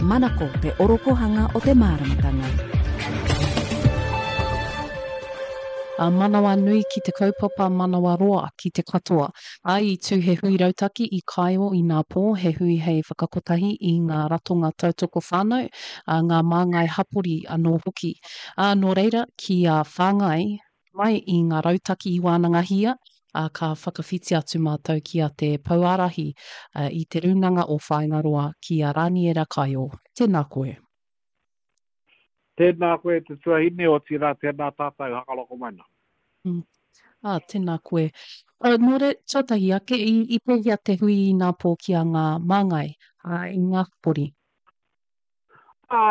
Manako te orokohanga o te māramatanga. A manawanui ki te kaupapa manawaroa ki te katoa. A i tū he hui rautaki i Kaeo i nā pō, he hui hei whakakotahi i ngā ratonga tautoko whānau, a ngā māngai hapori anō hoki. Ā, nō reira, ki a whāngai mai i ngā rautaki i wānangahia, ā, ka whakawhiti atu mātou ki a te Pouārahi i Te Rūnanga o Whāingaroa, ki a Rāniera Kaio. Tēnā koe. Tēnā koe te tuahine, otirā tēnā tātou hakaroko mai nā. Ā, tēnā koe. Nō reira, tuatahi ake, i, i pēhea te hui inapō ki a ngā māngai, ā, i ngā hapori? Ā,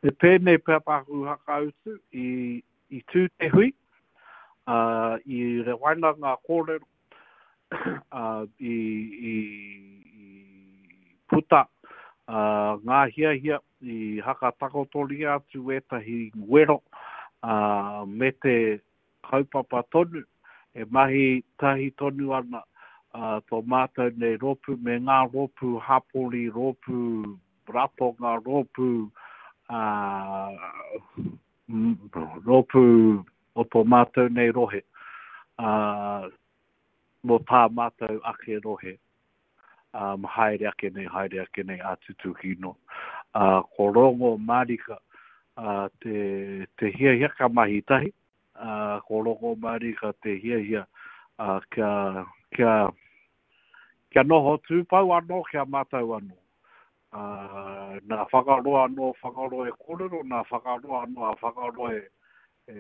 me pēnei pea tāku whakautu, i, i tū te hui, ā, i rewaina ngā kōrero, ā, i, i, i puta ā, ngā hiahia, i hakatakotoria atu ētahi wero, ā, me te kaupapa tonu, e mahi tahi tonu ana tō mātou nei rōpū me ngā rōpū hapori, rōpū ratonga, rōpū, rōpū o tō mātou nei rohe, mō tā mātou ake rohe. Um, haere ake nei, haere ake nei, a tutuki no. Uh, ko rongo marika uh, te, te hiahia ka mahi tahi, uh, ko rongo marika te hiahia uh, kia, kia, kia noho tūpau anō, kia mātau anō. Uh, nā whakaroa anō whakaroa e kōrero, nā whakaroa anō a whakaroa e, e,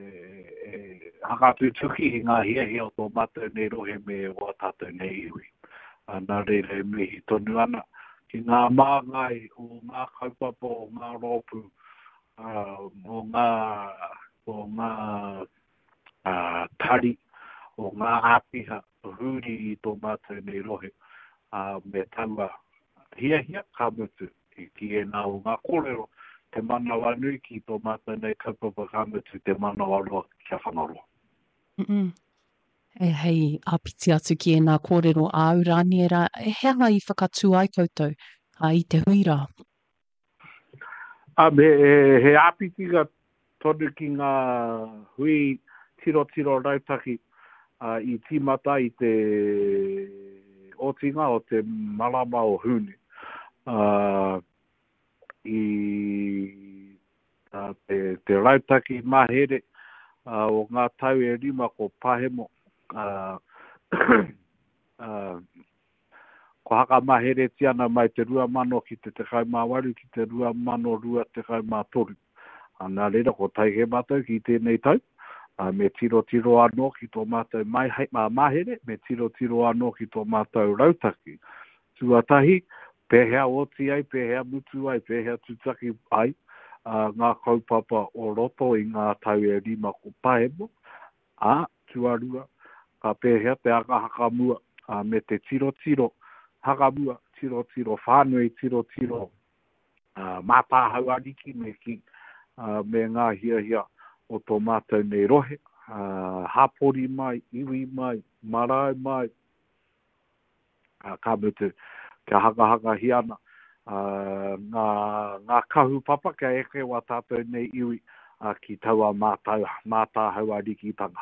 e hakatutuki i ngā hiahia o tō mātou nei rohe me wā tātou nei iwi. A, nā reira e mihi tonu ana ki ngā māngai o ngā kaupapa o ngā rōpū, o ngā, o ngā a, tari, o ngā āpiha huri i tō mātou nei rohe, a, me taua hiahia, ka mutu, ki ēnā o ngā kōrero, te manawanui ki tō mātou nei kaupapa ka mutu te manawaroa kia Whangaroa. Mm -mm. E hei āpiti atu ki ēnā kōrero āu, Rāniera, he aha i whakatū ai koutou a, i te hui rā? Um, he, he, he āpitinga tonu ki ngā hui tirotiro rautaki uh, i tīmata i te otinga o te marama o Hūne. Uh, i uh, te, te rautaki mahere uh, o ngā tau e rima ko Pahemo uh, uh, Kua hakamaheretia ana mai te 2000 ki te 18 ki te 2023. Nā reira, ko tae kē mātou ki tēnei tau, me tirotiro anō ki tō mātou mahere, me tirotiro anō ki tō mātou rautaki. Tuatahi, pēhea oti ai, pēhea mutu ai, pēhea tutaki ai ngā kaupapa o roto i ngā tau e rima ko pahemo, Ā, tuarua, ka pēhea te anga hakamua, ā, me te tirotiro hakamua, tirotiro whānui, tirotiro mātāhau ariki me kī, ā, me ngā hiahia o tō mātou nei rohe, ā, hapori mai, iwi mai, marae mai, ā, ka mutu, kia hangahangahia ana ngā, ngā kahupapa kia eke wā tātou nei iwi ki taua mātau, mātāhau arikitanga.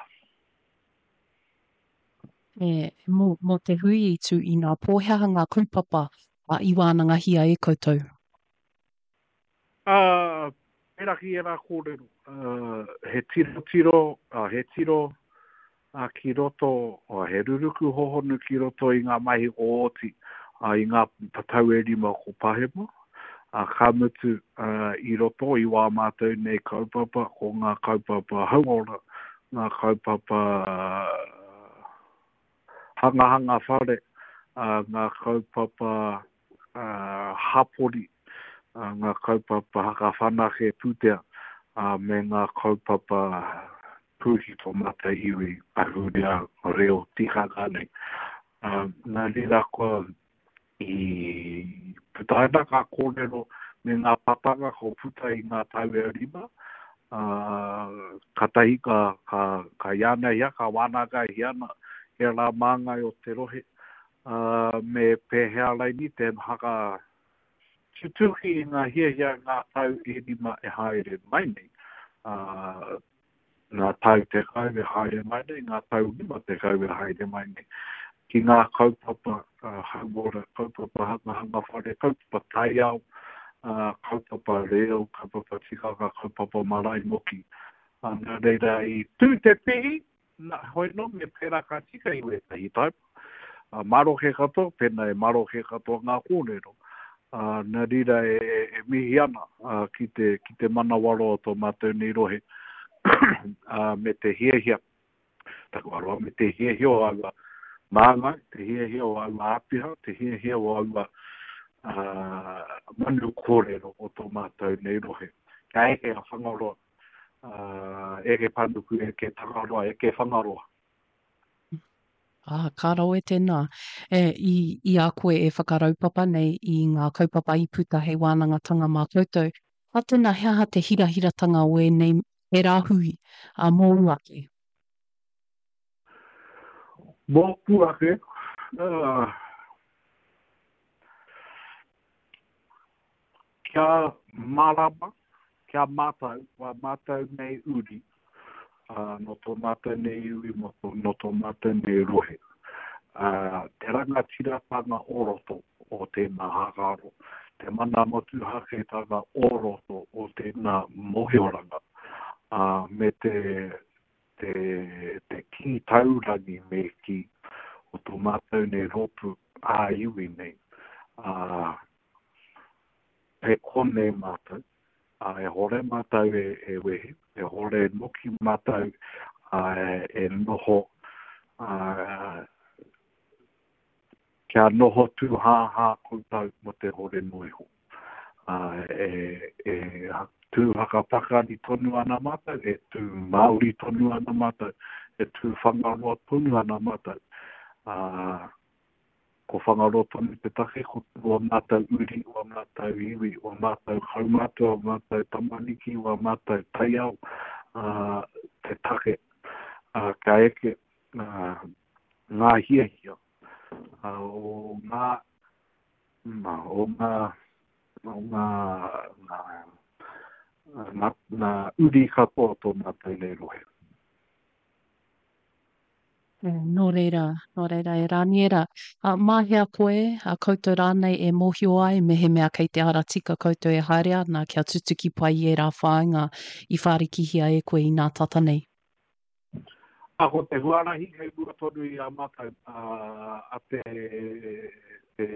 E, mō, mō te hui i tū inapō, he aha ngā kaupapa i wānangahia e koutou? Ā, pērā ki ērā kōrero, he tirotiro, he tiro ki roto, he ruruku hohonu ki roto i ngā mahi o oti, i ngā tau e rima ko pahemo, ka mutu i roto i wā mātou nei kaupapa, ko ngā kaupapa hauora, ngā kaupapa hangahanga whare, ngā kaupapa hapori, ngā kaupapa hakawhanake pūtea, me ngā kaupapa pū ki tō mātou iwi ahurea, reo, tikanga nei. Nā reira kua i putaina ngā kōrero me ngā papanga kua puta i ngā tau e rima, katahi ka, ka, ka iānahia, ka wānangahia ana ērā māngai o te rohe, ā, me pēhea raini te haka whakatutuki i ngā hiahia ngā tau e rima e haere mai nei, ā, ngā tau 10 e haere mai nei, ngā tau 50 e haere mai nei, ki ngā kaupapa hauora, kaupapa hangahanga whare, kaupapa taiao, kaupapa reo, kaupapa tikanga, kaupapa marae moki. Nā reira, i tū te pihi, nā, hoi nō, me pērā ka tika i wētahi taepa. Maroke katoa, pēnā e maroke katoa ngā kōrero. Nā reira e, e, e mihi ana ki te, ki te manawaroa o tō mātou nei rohe me te hiahia, taku aroha, me te hiahia o aua māngai, te hiahia o aua āpiha, te hiahia o aua uh, manu kōrero o tō mātou nei rohe. Kia eke a Whangaroa, uh, eke Panuku, eke Tangaroa, eke Whangaroa. Ā, ka rawe tēnā. E, i, i a koe e whakaraupapa nei i ngā kaupapa i puta hei wānangatanga mā koutou, ā, tēnā, he aha te hirahiratanga o ēnei, ērā hui, ā, mōu ake? Mōku ake, ā, Kia mārama, kia mātau, wā mātau nei uri, ā, nō tō mātau nei iwi, mō tō, nō tō mātau nei rohe. Ā, te rangatiratanga o roto o tēnā hākaro, te mana motuhaketanga o roto o tēnā mōhioranga, ā, me te, te, te kī taurangi me kī o tō mātau nei rōpū ā-iwi nei, ā, Kei konei mātou, ā, e hore mātou e, e wehe, e hore noki mātou ā, e noho, ā, kia noho tūhāhā koutou mō te hore noa iho. Ā, e, e tū whakapakari tonu ana mātou, e tū Māori tonu ana mātou, e tū Whangaroa tonu ana mātou. Ā, Ko Whangaroa tonu te take, ko wā mātou uri, wā mātou iwi, wā mātou kaumātua, wā mātou tamariki, wā mātou taiao, ā, te take, ā, kia eke, ā, ngā hiahia, ā, o ngā, o ngā, o ngā, ngā, ngā, ngā uri katoa o tō mātou nei rohe. Nō reira, nō reira e Rāniera, ā, mā hea koe, ā, koutou rānei e mōhio ai mehemea kei te ara tika koutou e haere ana kia tutuki pai i ērā whāinga i whārikihia e koe inā tata nei? Ā, ko te huarahi kei mua tonu i a mātou, ā, a te, te,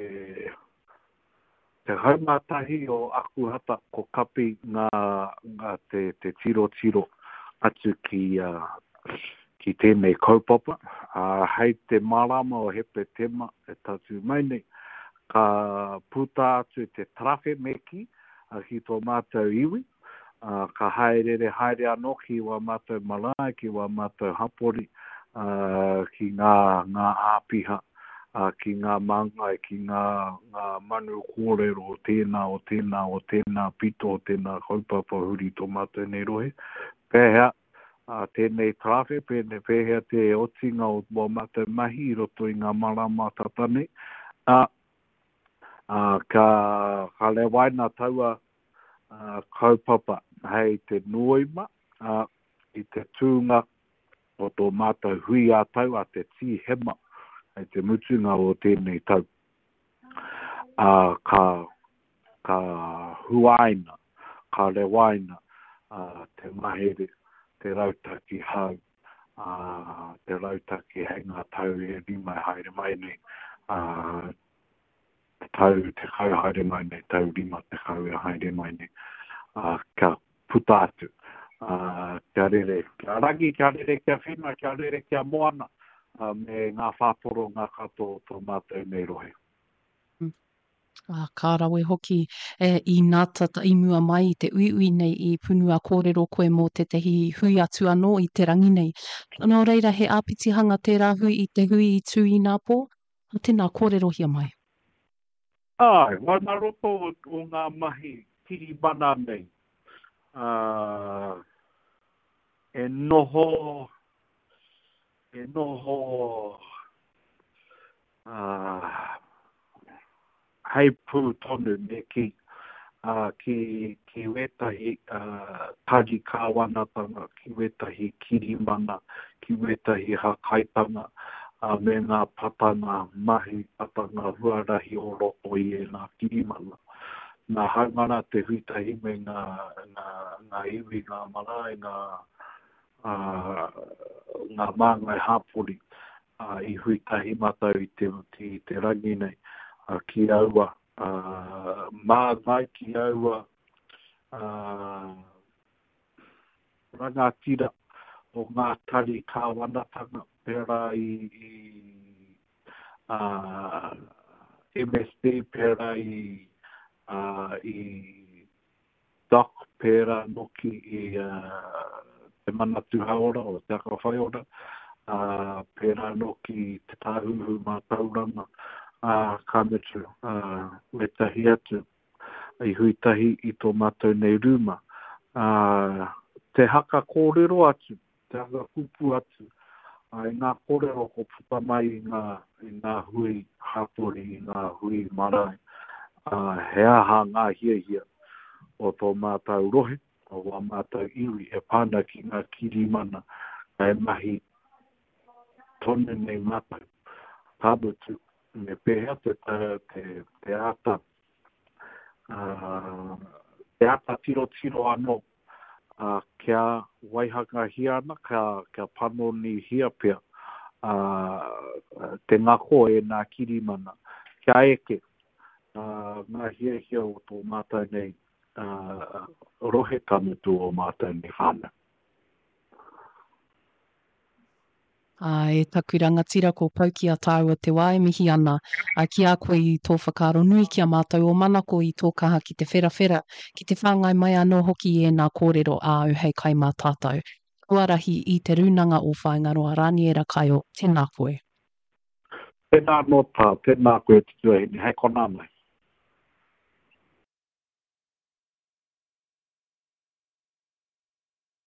11 o Akuhata ko kapi ngā, ngā te, te tirotiro atu ki, ki tēnei kaupapa. Ā, hei te marama o Hepetema e tatū mai nei, ka puta atu te tarawhe me kī, ki tō mātou iwi, ā, ka hāereere haere anō ki wā mātou marae, ki wā mātou hapori, ā, ki ngā, ngā āpiha, ā, ki ngā māngai, ki ngā, ngā manu kōrero o tēnā, o tēnā, o tēnā pito, o tēnā kaupapa huri tō mātou nei rohe. Pēhea, ā, tēnei tarawhe, pēnei, pēhea te otinga o wā mātou mahi i roto i ngā marama tata nei, ā, ā, ka, ka rewaina taua, ā, kaupapa hei te Noema, ā, i te tūnga o tō mātou hui ā-tau a te Tīhema hei te mutunga o tēnei tau, ā, ka, ka huaina, ka rewaina te mahere, te rautaki hou, ā, te rautaki hei ngā tau e rima e haere mai nei, ā, tau 10 haere mai nei, tau 50 e haere mai nei, ā, kia puta atu, ā, kia rere, kia rangi, kia rere, kia whenua, kia rere, kia moana, ā, me ngā whātoronga katoa o tō mātou nei rohe. Ā, ka rawe hoki, e, i nā tata i mua mai i te uiui nei i punua kōrero koe mō tētahi hui atu anō i te rangi nei. Nō reira, he āpitihanga tērā hui i te hui i tū inapō? Tēnā, kōrerohia mai. Āe, wā nā roto o ngā mahi kirimana nei, ā, e noho, e noho, ā, heipū tonu me kī. ki, ki wētahi tari kāwanatanga, ki wētahi kirimana, ki wētahi hākaitanga, me ngā patanga mahi, patanga huarahi o roto i ēnā kirimana. Nā, hāunga rā te hui tahi me ngā, ngā, ngā iwi, ngā marae, ngā, ngā māngai hāpori, i hui tahi mātou i te, i te rangi nei, ki aua māngai, ki aua rangatira o ngā tari kāwanatanga pērā i, i MSD, pērā i, i Doc, pērā noki i Te Manatū Hauora o Te Aka Whaiora, ā, pērā noki i Te Tāhuhu Mātauranga, ā, ka mutu, ā, wētahi atu i hui tahi i tō mātou nei rūma. Ā, te haka kōrero atu, te hanga kupu atu i ngā kōrero ko puta mai i ngā, i ngā hui hapori, i ngā hui marae, ā, he aha ngā hiahia o tō mātou rohe, o wā mātou iwi e pā ana ki ngā kirimana e mahi tonu nei mātou. Ka mutu, me pēhea te, te, te āta, ā, te āta tirotiro anō ā, kia waihangahia ana, kia, kia panonihia pea, ā, te ngako o ēnā kirimana, kia eke, ā, ngā hiahia o tō mātou nei, ā, rohe, ka mutu ō mātou nei whānau. Ā, e taku rangatira ko pau ki a tāua te wā e mihi ana ki a koe i tō whakaaro nui ki a mātou o Manako i tō kaha ki te wherawhera, ki te whāngai mai anō hoki i ēnā kōrero āu hei kai mā tātou. Huarahi i Te Rūnanga o Whāingaroa Rāniera Kaio, tēnā koe. Tēnā anō tā, tēnā koe te tuahine, hei konā mai.